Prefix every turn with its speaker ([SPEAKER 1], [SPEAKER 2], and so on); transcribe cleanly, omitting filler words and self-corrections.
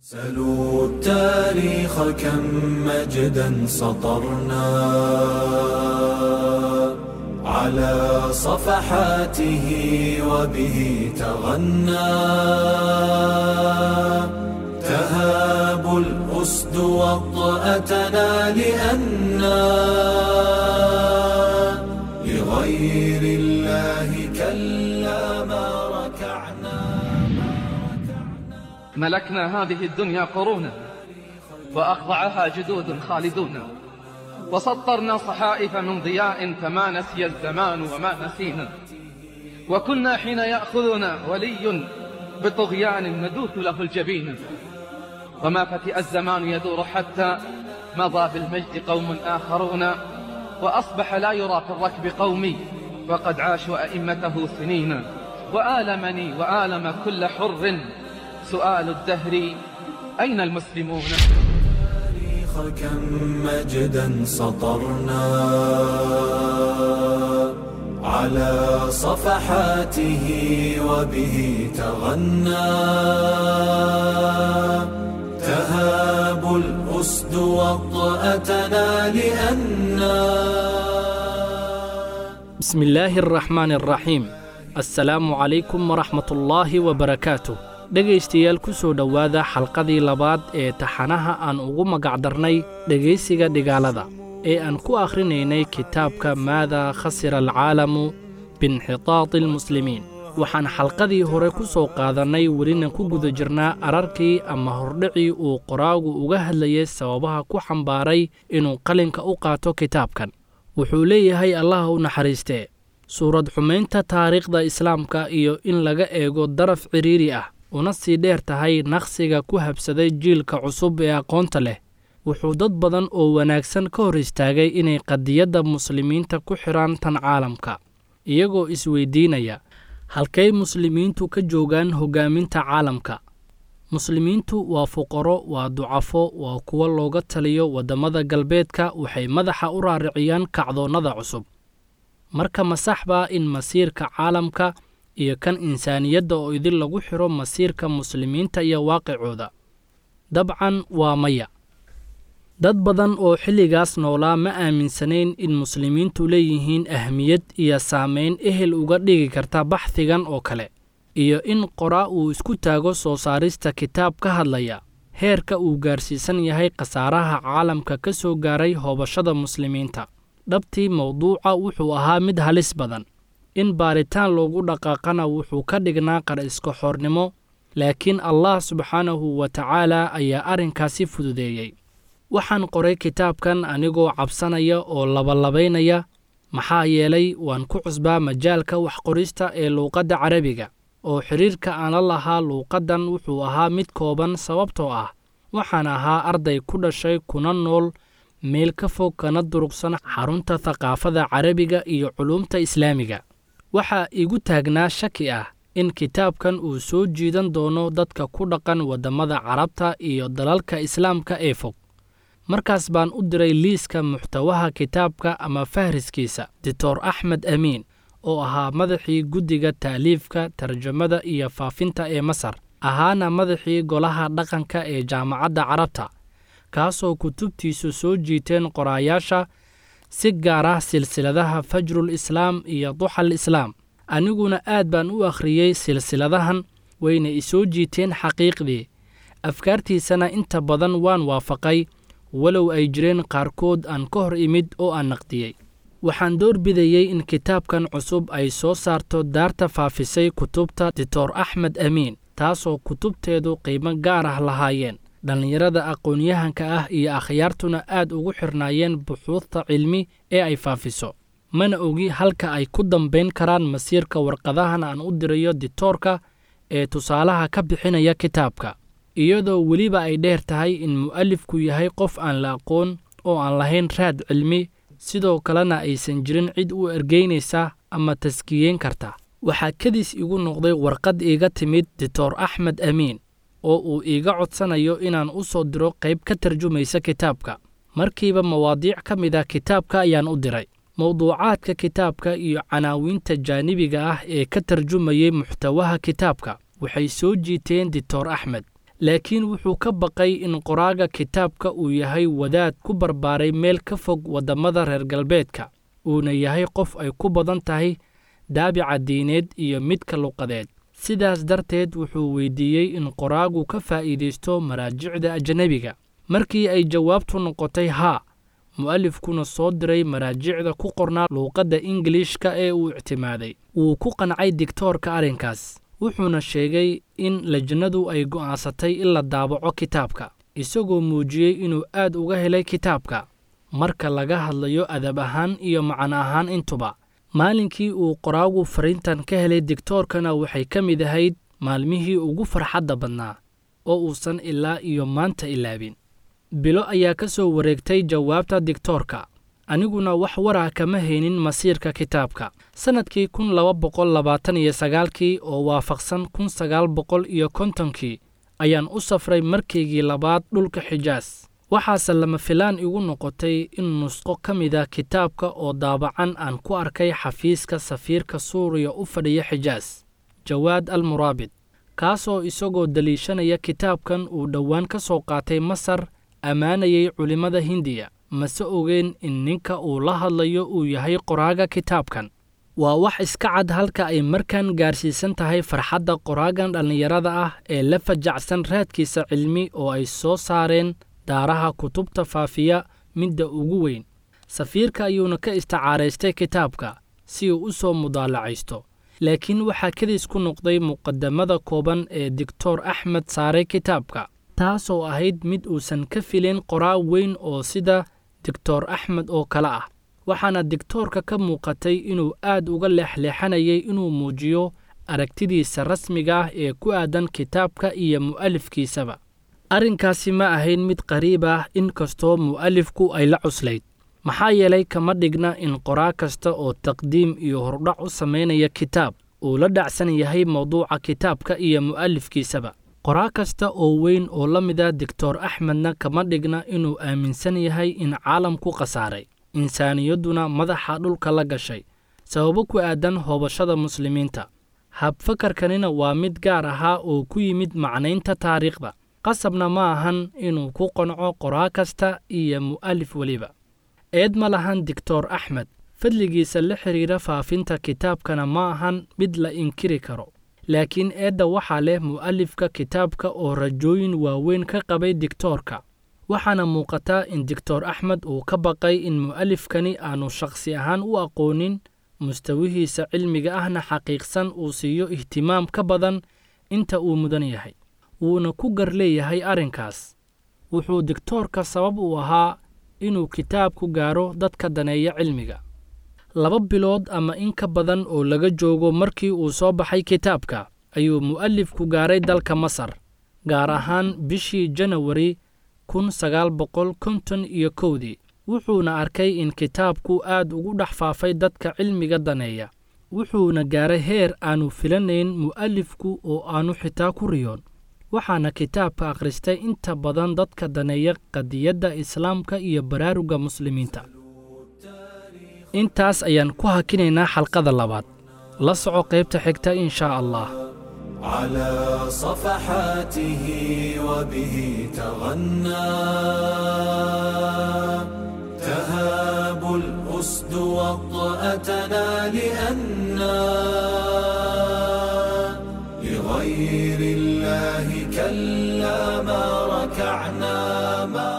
[SPEAKER 1] سلوا التاريخ كم مجدا سطرنا على صفحاته وبه تغنى تهاب الأسد وطأتنا لأنا لغير الله كلا ما ركعنا.
[SPEAKER 2] ملكنا هذه الدنيا قرونا وأخضعها جدود خالدون، وسطرنا صحائف من ضياء فما نسي الزمان وما نسينا، وكنا حين يأخذنا ولي بطغيان ندوث له الجبين، وما فتئ الزمان يدور حتى مضى بالمجد قوم آخرون، وأصبح لا يرى في الركب قومي وقد عاشوا أئمته سنين. وآلمني وآلم كل حر سؤال الدهر أين المسلمون؟
[SPEAKER 1] كم مجدا سطرنا على صفحاته وبه تغنى تهاب الأسد وطأتنا لأنا.
[SPEAKER 3] بسم الله الرحمن الرحيم. Assalaamu calaykum waraxmatullaahi wabarakaatuh. Dhegaystayaal, ku soo dhowaada xalqadii labaad ee taxanaha aan ugu magacdarnay dhegaysiga dhigaalada ee aan ku akhrinaynay kitaabka Maada khasira alcaalamu biinxitaati almuslimiin. Waxaan xalqadii hore ku soo qaadannay, welina ku guda jirnaa, ararkii ama hordhicii uu qoraagu uga hadlayay sababaha ku xambaaray inuu qalinka u qaato kitaabkan. Wuxuu leeyahay, Allah u naxariistee, suurad xumaynta taariikhda islaamka iyo in laga eego daraf cidhiiri ah una sii dheer tahay naqsiga ku habsaday jiilka cusub ee aqoonta leh, wuxuu dad badan oo wanaagsan ka hor istaagay inay qadiyadda muslimiinta ku xidhaan tan caalamka, iyagoo isweydiinaya halkay muslimiintu ka joogaan hoggaaminta caalamka. Muslimiintu waa fuqaro, waa ducafo, waa kuwo looga taliyo waddamada galbeedka, waxay madaxa u raariciyaan kacdoonnada cusub. Marka ma sax baa in masiirka caalamka iyo kan insaaniyadda oo idin lagu xidho masiirka muslimiinta iyo waaqicooda? Dabcan waa maya. Dad badan oo xilligaas noolaa ma aaminsanayn in muslimiintu leeyihiin ahmiyad iyo saamayn ehel uga dhigi karta baxhigan oo kale, iyo in qoraa uu isku taago soo saarista kitaab ka hadlaya heerka uu gaarsiisan yahay khasaaraha caalamka ka soo gaaray hoobashada muslimiinta. Dhabtii mawduuca wuxuu ahaa mid halis badan, in baaritaan loogu dhaqaaqana wuxuu ka dhignaa qar iska xornimo, laakiin Allah subxaanahu wa tacaala ayaa arrinkaasi fududeeyey. Waxaan qoray kitaabkan anigoo cabsanaya oo labalabaynaya, maxaa yeelay waan ku cusbaa majaalka waxqorista ee luuqadda carabiga, oo xidhiirka aan la lahaa luuqaddan wuxuu ahaa mid kooban, sababtoo ah waxaan ahaa arday ku dhashay kuna nool meel ka fog kana durugsan xarunta thaqaafada carabiga iyo culuumta islaamiga. Waxaa igu taagnaa shaki ah in kitaabkan uu soo jiidan doono dadka ku dhaqan waddamada carabta iyo dalalka islaamka ee fog. Markaas baan u diray liiska muxtawaha kitaabka ama fahriskiisa Doctor Axmed Amiin, oo ahaa madaxii guddiga ta'liifka, tarjamada iyo faafinta ee Masar, ahaana madaxii golaha dhaqanka ee Jaamacadda Carabta, kaasoo kutubtiisu soo jiiteen qoraayaasha, si gaar ah silsiladaha Fajrul Islaam iyo Duxal Islaam. Aniguna aad baan u akhriyey silsiladahan, wayna isoo jiiteen xaqiiqdii. Afkaartiisana inta badan waan waafaqay, walow ay jireen qaarkood aan ka hor imid oo aan naqdiyey. Waxaan doorbidayey in kitaabkan cusub ay soo saarto daarta faafisay kutubta Doctor Axmed Amiin, taasoo kutubteedu qiimo gaar ah lahaayeen, dhallinyarada aqoon-yahanka ah iyo akhyaartuna aad ugu xirnaayeen buxuudta cilmi ee ay faafiso. Mana ogi halka ay ku dambayn karaan masiirka warqadahan aan u dirayo ditoorka ee tusaalaha ka bixinaya kitaabka, iyadoo weliba ay dheer tahay in mu'alifku yahay qof aan la aqoon oo aan lahayn raad cilmi, sidoo kalena aysan jirin cid u ergeynaysa ama taskiyeyn karta. Waxaa kadis igu noqday warqad iiga timid Doctor Axmed Amiin oo uu iiga codsanayo inaan u soo diro qayb ka tarjumaysa kitaabka. Markiiba mawaadiic ka mid ah kitaabka ayaan u diray. Mawduucaadka kitaabka iyo canaawiinta jaanibiga ah ee ka tarjumayay muxtawaha kitaabka waxay soo jiiteen Doctor Axmed. Laakiin wuxuu ka baqay in qoraaga kitaabka uu yahay wadaad ku barbaaray meel ka fog waddamada reer galbeedka, uuna yahay qof ay ku badan tahay daabica diineed iyo midka luqadeed. Sidaas darteed wuxuu weydiiyey in qoraagu ka faa'iidaysto maraajicda ajnebiga. Markii ay jawaabtu noqotay haa, mu'alifkuna soo diray maraajicda ku qornaa luuqadda Ingiliishka ee uu ictimaaday, wuu ku qancay digtoorka arrinkaas, wuxuuna sheegay in lajnadu ay go'aansatay in la daabaco kitaabka, isagoo muujiyey inuu aad uga helay kitaabka marka laga hadlayo adab ahaan iyo macno ahaan intuba. Maalinkii uu qoraagu fariintan ka helay digtoorkana waxay ka mid ahayd maalmihii ugu farxadda badnaa oo uusan ilaa iyo maanta ilaabin. Bilo ayaa ka soo wareegtay jawaabta digtoorka, aniguna wax warah kama haynin masiirka kitaabka. Sannadkii 1229kii oo waafaqsan 1950kii ayaan u safray markaygii labaad dhulka Xijaas. Waxaase lama filaan igu noqotay in nusqo ka mida kitaabka oo daabacan aan ku arkay xafiiska safiirka Suuriya u fadhiya Xijaas, Jawaad al Muraabid, kaasoo isagoo daliishanaya kitaabkan uu dhowaan ka soo qaatay Masar ammaanayay culimmada Hindiya. Mase ogeen in ninka uu la hadlayo uu yahay qoraaga kitaabkan. Waa wax iska cad halka ay markan gaarsiisan tahay farxadda qoraagan dhallinyarada ah ee la fajacsan raadkiisa cilmi oo ay soo saareen daaraha kutubta faafiya midda ugu weyn. Safiirka ayuuna ka isticaaraystay kitaabka si uu u soo mudaalacaysto, laakiin waxaa kadis ku noqday muqadamada kooban ee Doctor Axmed saaray kitaabka, taasoo ahayd mid uusan ka filin qoraa weyn oo sida Doctor Axmed oo kale ah. Waxaana digtoorka ka muuqatay inuu aad uga leexleexanayay inuu muujiyo aragtidiisa rasmiga ah ee ku aadan kitaabka iyo mu'alifkiisaba. Arrinkaasi ma ahayn mid qariib ah, inkastoo mu'alifku ay la cuslayd, maxaa yeelay kama dhigna in qoraa kasta oo taqdiim iyo hordhac u samaynaya kitaab uu la dhacsan yahay mawduuca kitaabka iyo mu'alifkiisaba. Qoraa kasta oo weyn oo la mida Doctor Axmedna kama dhigna inuu aaminsan yahay in caalamku khasaaray, insaaniyadduna madaxa dhulka la gashay sababo ku aadan hoobashada muslimiinta. Habfakarkanina waa mid gaar ahaa oo ku yimid macnaynta taariikhda, qasabna ma ahan inuu ku qanco qoraa kasta iyo mu'alif weliba. Eed ma lahan Doctor Axmed, fadligiisa la xiriira faafinta kitaabkana ma ahan mid la inkiri karo, laakiin eedda waxaa leh mu'alifka kitaabka oo rajooyin waaweyn ka qabay digtoorka. Waxaana muuqata in Doctor Axmed uu ka baqay in mu'alifkani aanu shakhsi ahaan u aqoonin, mustawihiisa cilmiga ahna xaqiiqsan uu siiyo ihtimaam ka badan inta uu mudan yahay, wuuna ku gar leeyahay arrinkaas. Wuxuu digtoorka sabab u ahaa inuu kitaabku gaaro dadka daneeya cilmiga. 2 bilood ama in ka badan oo laga joogo markii uu soo baxay kitaabka ayuu mu'alifku gaaray dalka Masar, gaar ahaan bishii Janawari 1951dii. Wuxuuna arkay in kitaabku aad ugu dhex faafay dadka cilmiga daneeya, wuxuuna gaaray heer aanu filanayn mu'alifku oo aanu xitaa ku riyoon. Waxaana kitaabka akhristay inta badan dadka daneeya qadiyadda islaamka iyo baraarugga muslimiinta. Intaas ayaan ku hakinaynaa xalqada labaad. La soco qaybta xigta in shaa Allah.
[SPEAKER 1] على صفحاته وبه تغنى تهاب الأسد وطأتنا لأنا لغير الله كلا ما ركعنا ما